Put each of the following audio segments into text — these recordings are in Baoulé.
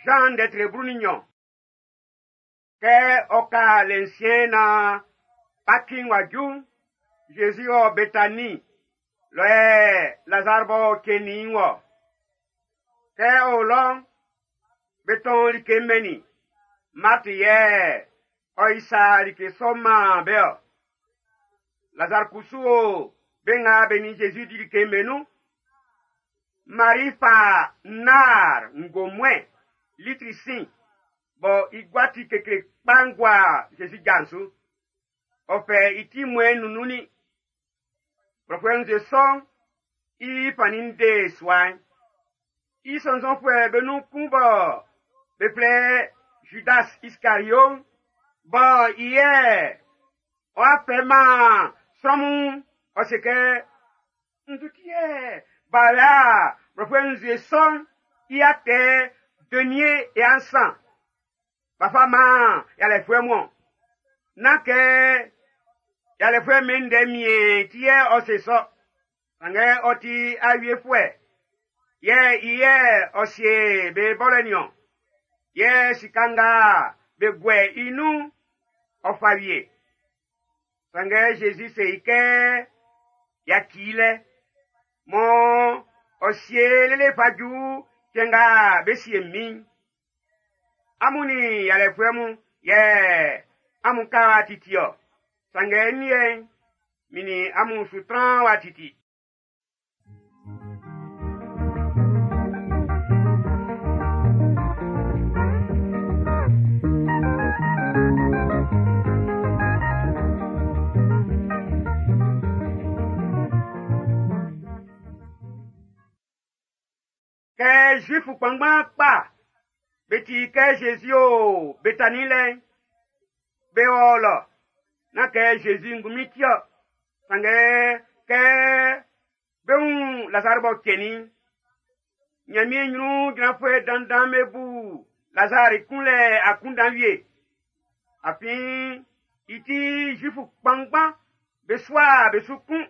Zan ndɛ tre 12. Kɛ ɔ ka le nsiɛn naan Paki'n w'a ju'n, Zezi wɔ Betani lɔ yɛ Lazar b'ɔ cɛnnin i'n wɔ. Kɛ ɔ o lɔ'n, be tɔn like mɛnnin i. Marti yɛ ɔ isa like sɔ'n man be-ɔ. Lazar kusu o be nga be nin Zezi di like'n be nun. Mari fa nar ngomue litri sin bɔ i gua ti kekle kpa'n gua Zezi ja'n su. Ɔ fɛ i ti mmuɛ'n nunnunnin. Blɔfuɛ nzue sɔ'n i fannin'n de sua'n. I sɔnnzɔnfuɛ be nun kun bɔ be flɛ Judas Iskario'n, bɔ i yɛ ɔ'a fɛ man sran mun, ɔ se kɛ, Nzu ti yɛ b'a la blɔfuɛ nzue sɔ'n i atɛ denier e ansan. B'a fa man yalɛfuɛ mun. Nán kɛ yalɛfuɛ min ndɛ mie ti yɛ ɔ se sɔ. Sanngɛ ɔ ti awiefuɛ. Yɛ i yɛ ɔ sie be bɔlɛ niɔn. Yɛ sika nga be guɛ i nun, ɔ fa wie. Sanngɛ Zezi se i kɛ, yaci i lɛ. Mɔ ɔ sie lele fa ju cɛn nga be sie min'n. Amun nin yalɛfuɛ mun yɛ amun ka wa titi-ɔ. Sanngɛ n liɛ'n, min nin amun su tran wa titi. Kɛ Zuifu kpanngban kpa be ti kɛ Zezi o Betani lɛ'n, be wɔ lɔ. Nán kɛ Zezi ngunmin ti-ɔ, sanngɛ kɛ be wun Lazar b'ɔ cɛnnin'n, Ɲanmiɛn ɲrun jranfuɛ dandan be bu Lazar i kunlɛ akunndan wie. Afin i ti Zuifu kpanngban be sua be su kun.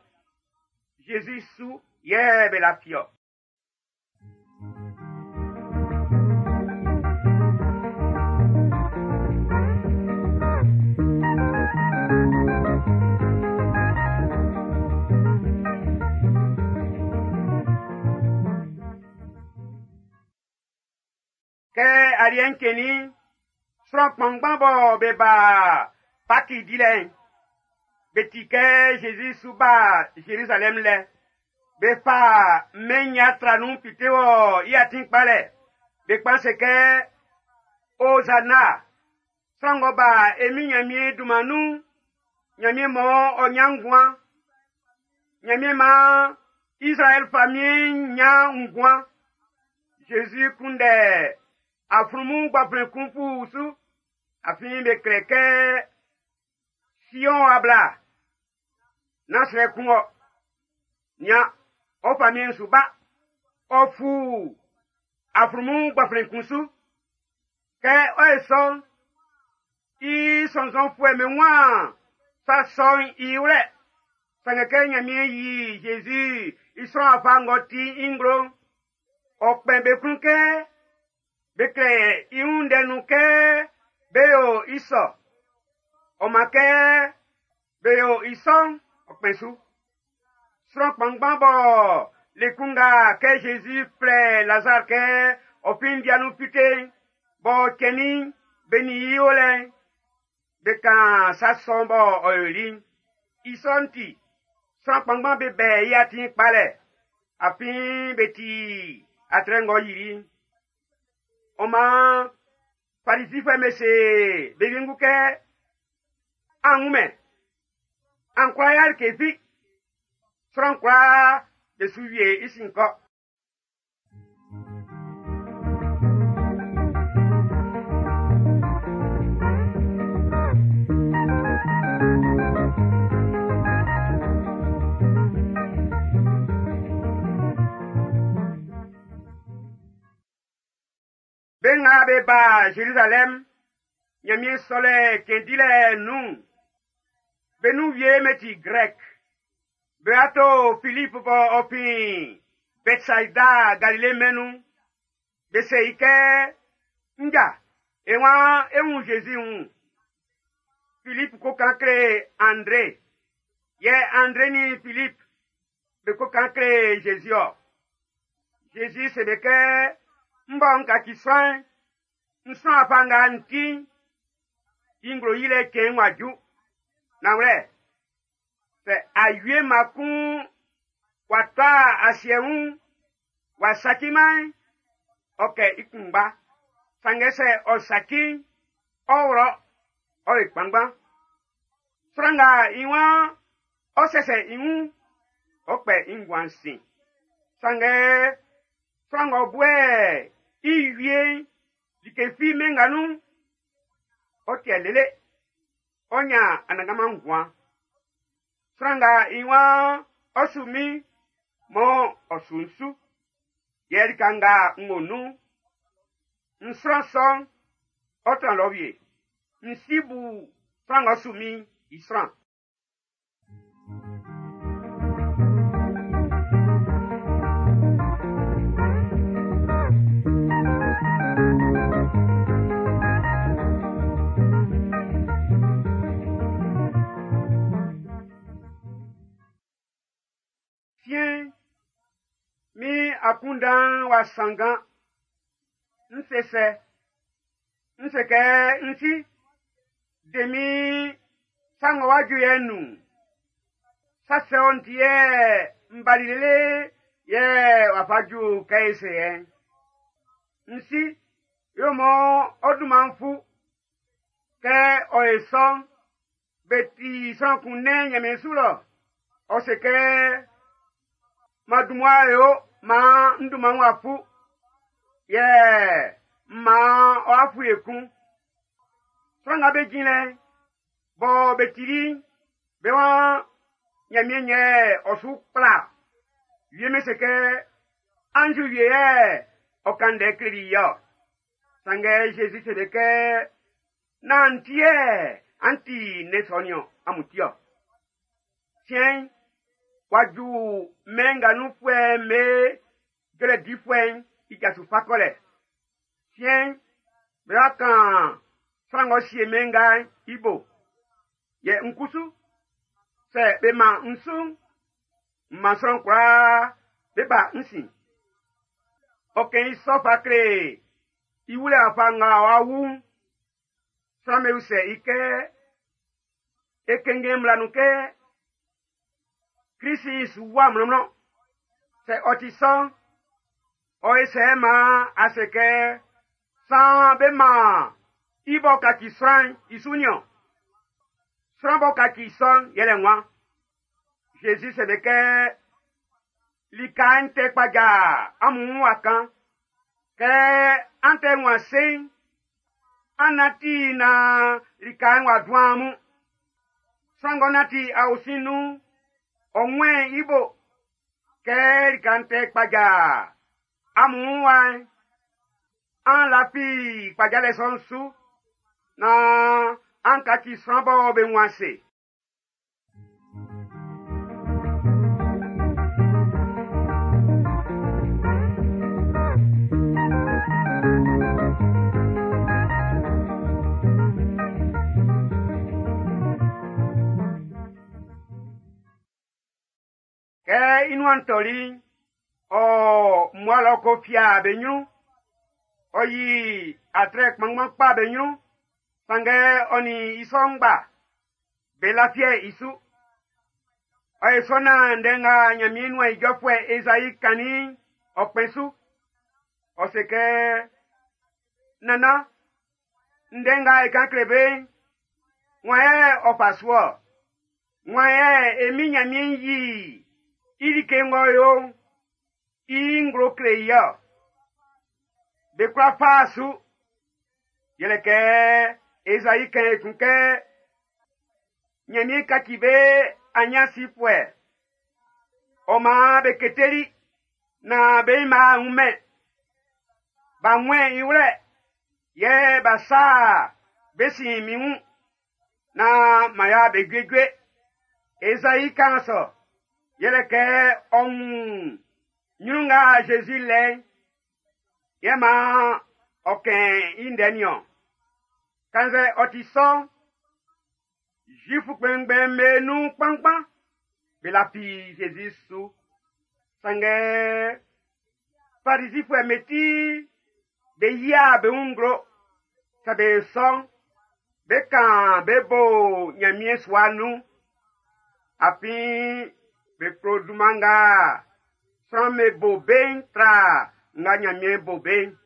Zezi su yɛ be lafi-ɔ. Kɛ aliɛ'n cɛnnin'n, sran kpanngban bɔ be ba Paki dilɛ'n, be ti kɛ Zezi su ba Zerizalɛm lɛ. Be fa mɛn nya tra nun fite wɔ i atin kpalɛ. Be kpan se kɛ, Ozana, sran ng'ɔ ba e min Ɲanmiɛn dunman nun'n, Ɲanmiɛn mɔ ɔ ɲan nguan. Ɲanmiɛn maan Israɛl famiɛn'n ɲan nguan. Zezi kunndɛ aflunmun gbaflɛn kun fu su. Afin be klɛ kɛ Sion abla. Nán srɛ kun ɔ. Nya, ɔ famiɛn'n su ba. Ɔ fu aflunmun gbaflɛn kun su. Kɛ ɔ ye sɔ'n, i sɔnnzɔnfuɛ me waan sa sɔ'n i wlɛ. Sanngɛ kɛ Ɲanmiɛn yi Zezi i sran afa ng'ɔ ti i nglo'n, ɔ kpɛn be klun kɛ be klɛ i wun ndɛ nun kɛ be yo i sɔ. Ɔ man kɛ be yo i sɔ'n, ɔ kpɛn su. Sran kpanngban bɔ le kun nga kɛ Zezi flɛ Lazar kɛ ɔ fin ndia nun fite'n, b'ɔ cɛnnin be nin i o lɛ'n, be kan sa sɔ'n bɔ ɔ yoli'n. I sɔ'n ti, sran kpanngban be bɛ i atin kpalɛ, afin be ti atrɛ ng'ɔ yili'n. Ɔ maan Farisifuɛ'm be se be wiengu kɛ, an wunmɛn, an kwla ya like fi. Sran kwlaa be su wie i sin kɔ. Be nga be ba Zerizalɛm, Ɲanmiɛn sɔlɛ cɛn dilɛ nun'n, be nun wie me ti Grɛk. Be ato Filip bɔ ɔ fin Bɛtsaida Galile mɛn'n nun. Be se i kɛ, Nja, e waan e wun Zezi wun. Filip ko kan kle Andre. Yɛ Andre nin Filip be ko kan kle Zezi ɔ. Zezi se be kɛ, n bɔ n kaci sran'n, n sran wafa nga n ti'n, i nglo yilɛ cɛn'n w'a ju. Nanwlɛ, sɛ awie mma kun w'a tɔ asiɛ wun, w'a saciman'n, ɔ kɛ i kunngba. Sanngɛ sɛ ɔ saci'n, ɔ wlɔ, ɔ le kpanngban. Sran nga i waan ɔ sɛsɛ i wun, ɔ kpɛ i nguan'n sin. Sanngɛ sran ng'ɔ buɛ i wie'n, like fi mɛn nga nun'n, ɔ tiɛ lele, ɔ ɲan anannganman nguan. Sran nga i waan ɔ su min, mɔ ɔ su n su, yɛ lika nga n wo nun'n, n sran sɔ'n, ɔ tran lɔ wie. N si bu sran ng'ɔ su min'n i sran. Siɛn'n, min akunndan'n w'a sanngan. N se sɛ? N se kɛ n si, de min sa ng'ɔ wá ju yɛ'n nun. Sa sɔ'n ti yɛ n bali lele yɛ w'a fa ju kɛ e se yɛ'n. N si, yo mɔ ɔ dunman'n fu. Kɛ ɔ e sɔ'n, be ti sran kun nɛn Ɲanmiɛn su lɔ. Ɔ se kɛ, ma dunmua yo, maan n dunman'n w'a fu. Yɛ maan ɔ fu ekun. Sran nga be jin lɛ, bɔ be tili'n, be waan Ɲanmiɛn yɛ ɔ su kpla. Wie me se kɛ, anzu wie yɛ ɔ kan ndɛ kleli i ɔ. Sanngɛ Zezi se be kɛ, nán ti yɛ an ti ndɛ sɔ niɔn, amun ti ɔ. Siɛn'n, w'a ju mɛn nga nunfuɛ'm be jɔlɛ difuɛ'n i ja su fa kɔlɛ. Siɛn'n, be wa kan sran ng'ɔ sie mɛn nga'n i bo. Yɛ n kusu, sɛ be man n su'n, n man sran kwlaa be ba n sin. Ɔ kɛn i sɔ fa kle i wulɛ wafa nga ɔ'a wu'n. Sran be usɛ i kɛ, e kɛnngɛn mmla nun kɛ, Krisi su wa mlɔnmlɔn. Sɛ ɔ ti sɔ'n, ɔ e sɛ maan a se kɛ, saan be man i b'ɔ kaci sran'n i su niɔn. Sran b'ɔ kaci sɔ'n yɛlɛ nwan. Zezi se be kɛ, lika'n tɛ kpaja amun wun wa kan. Kɛ an tɛ wun ase'n, an nanti na lika'n w'a dun amun. Sran ng'ɔ nanti aosin nun'n, ɔ wɛn i bo. Kɛ lika'n tɛ kpaja amun wun wa'n, an lafi kpajalɛ sɔ'n su, na an kaci sran bɔ be wun ase. Kɛ i nuan tɔli'n, ɔ mmua lɔ ko fia be ɲrun. Ɔ yi atrɛ kpanngban kpa be ɲrun. Sanngɛ ɔ nin i sɔ'n ngba, be lafiɛ i su. Ɔ ye sɔ naan ndɛ nga Ɲanmiɛn nuan ijɔfuɛ Ezai kannin'n, ɔ kpɛn su. Ɔ se kɛ, Nannan, ndɛ nga e kan kle be'n, wan yɛ ɔ fa su ɔ? Wan yɛ e min Ɲanmiɛn yi i like ng'ɔ yo'n, i nglo kle i ɔ? Be kwla fa su. Yɛlɛ kɛ Ezai kan ekun kɛ, Ɲanmiɛn kaci be anyansifuɛ. Ɔ maan be keteli na be ma wunmɛn. B'a wɛn i wlɛ, yɛ b'a sa be sin min wun, na ma ya be juejue. Ezai kan sɔ, yɛlɛ kɛ ɔ wun ɲrun nga Zezi lɛ'n, yɛ maan ɔ kɛn i ndɛ niɔn. Kannzɛ ɔ ti sɔ'n, Zifu kpɛnngbɛn'm be nun kpanngban be lafi Zezi su. Sanngɛ Farizifuɛ'm be ti be yia be wun nglo. Sɛ be sɔ'n, be kan be bo Ɲanmiɛn sua nun. Afin be klo dunman nga sran'm be bo be'n tra nga Ɲanmiɛn bo be'n.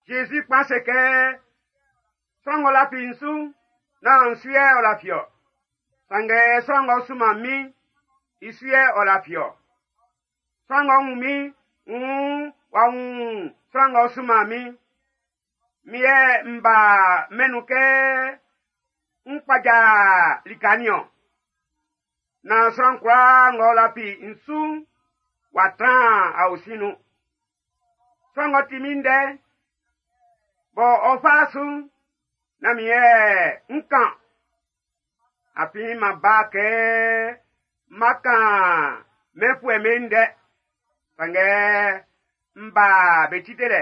Zezi kpan se kɛ, sran ng'ɔ lafi n su'n, nán n su yɛ ɔ lafi-ɔ. Sanngɛ sran ng'ɔ sunman min'n, i su yɛ ɔ lafi-ɔ. Sran ng'ɔ wun min'n, wuun w'a wun sran ng'ɔ sunman min'n. Min yɛ n ba mɛn'n nun kɛ n kpaja lika nin-ɔn. Naan sran kwlaa ng'ɔ lafi n su'n, w'a tran aosin nun. Sran ng'ɔ ti min ndɛ'n, bɔ ɔ fa su'n, nán min yɛ n kan. Afin m'an ba kɛ m'an kan mɛnfuɛ'm be ndɛ. Sanngɛ n ba be ti delɛ.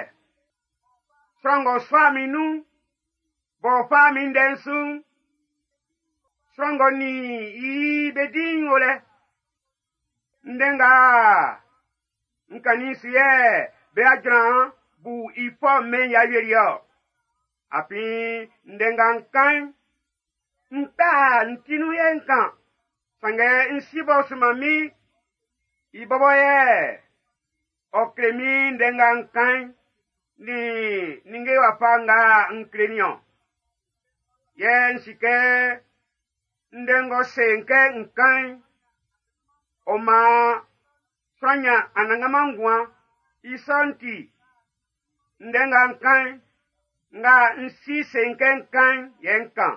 Sran ng'ɔ sɔ min nun'n, b'ɔ fa min ndɛ'n su'n, sran ng'ɔ nin i be di'n o lɛ. Ndɛ nga n kannin su yɛ be jran bu i fɔ mɛn i awieliɛ-ɔ. Afin ndɛ nga n kan'n, n ta n ti nun yɛ n kan. Sanngɛ n si b'ɔ sunman min, i bɔbɔ yɛ ɔ kle min ndɛ nga n kan'n, nin ninnge wafa nga n kle nin-ɔn. Yɛ n si kɛ ndɛ ng'ɔ se n kɛ n kan'n, ɔ maan sran ɲan anannganman nguan. I sɔ'n ti, ndɛ nga n kan'n, nga n si se n kɛ n kan'n, yɛ n kan.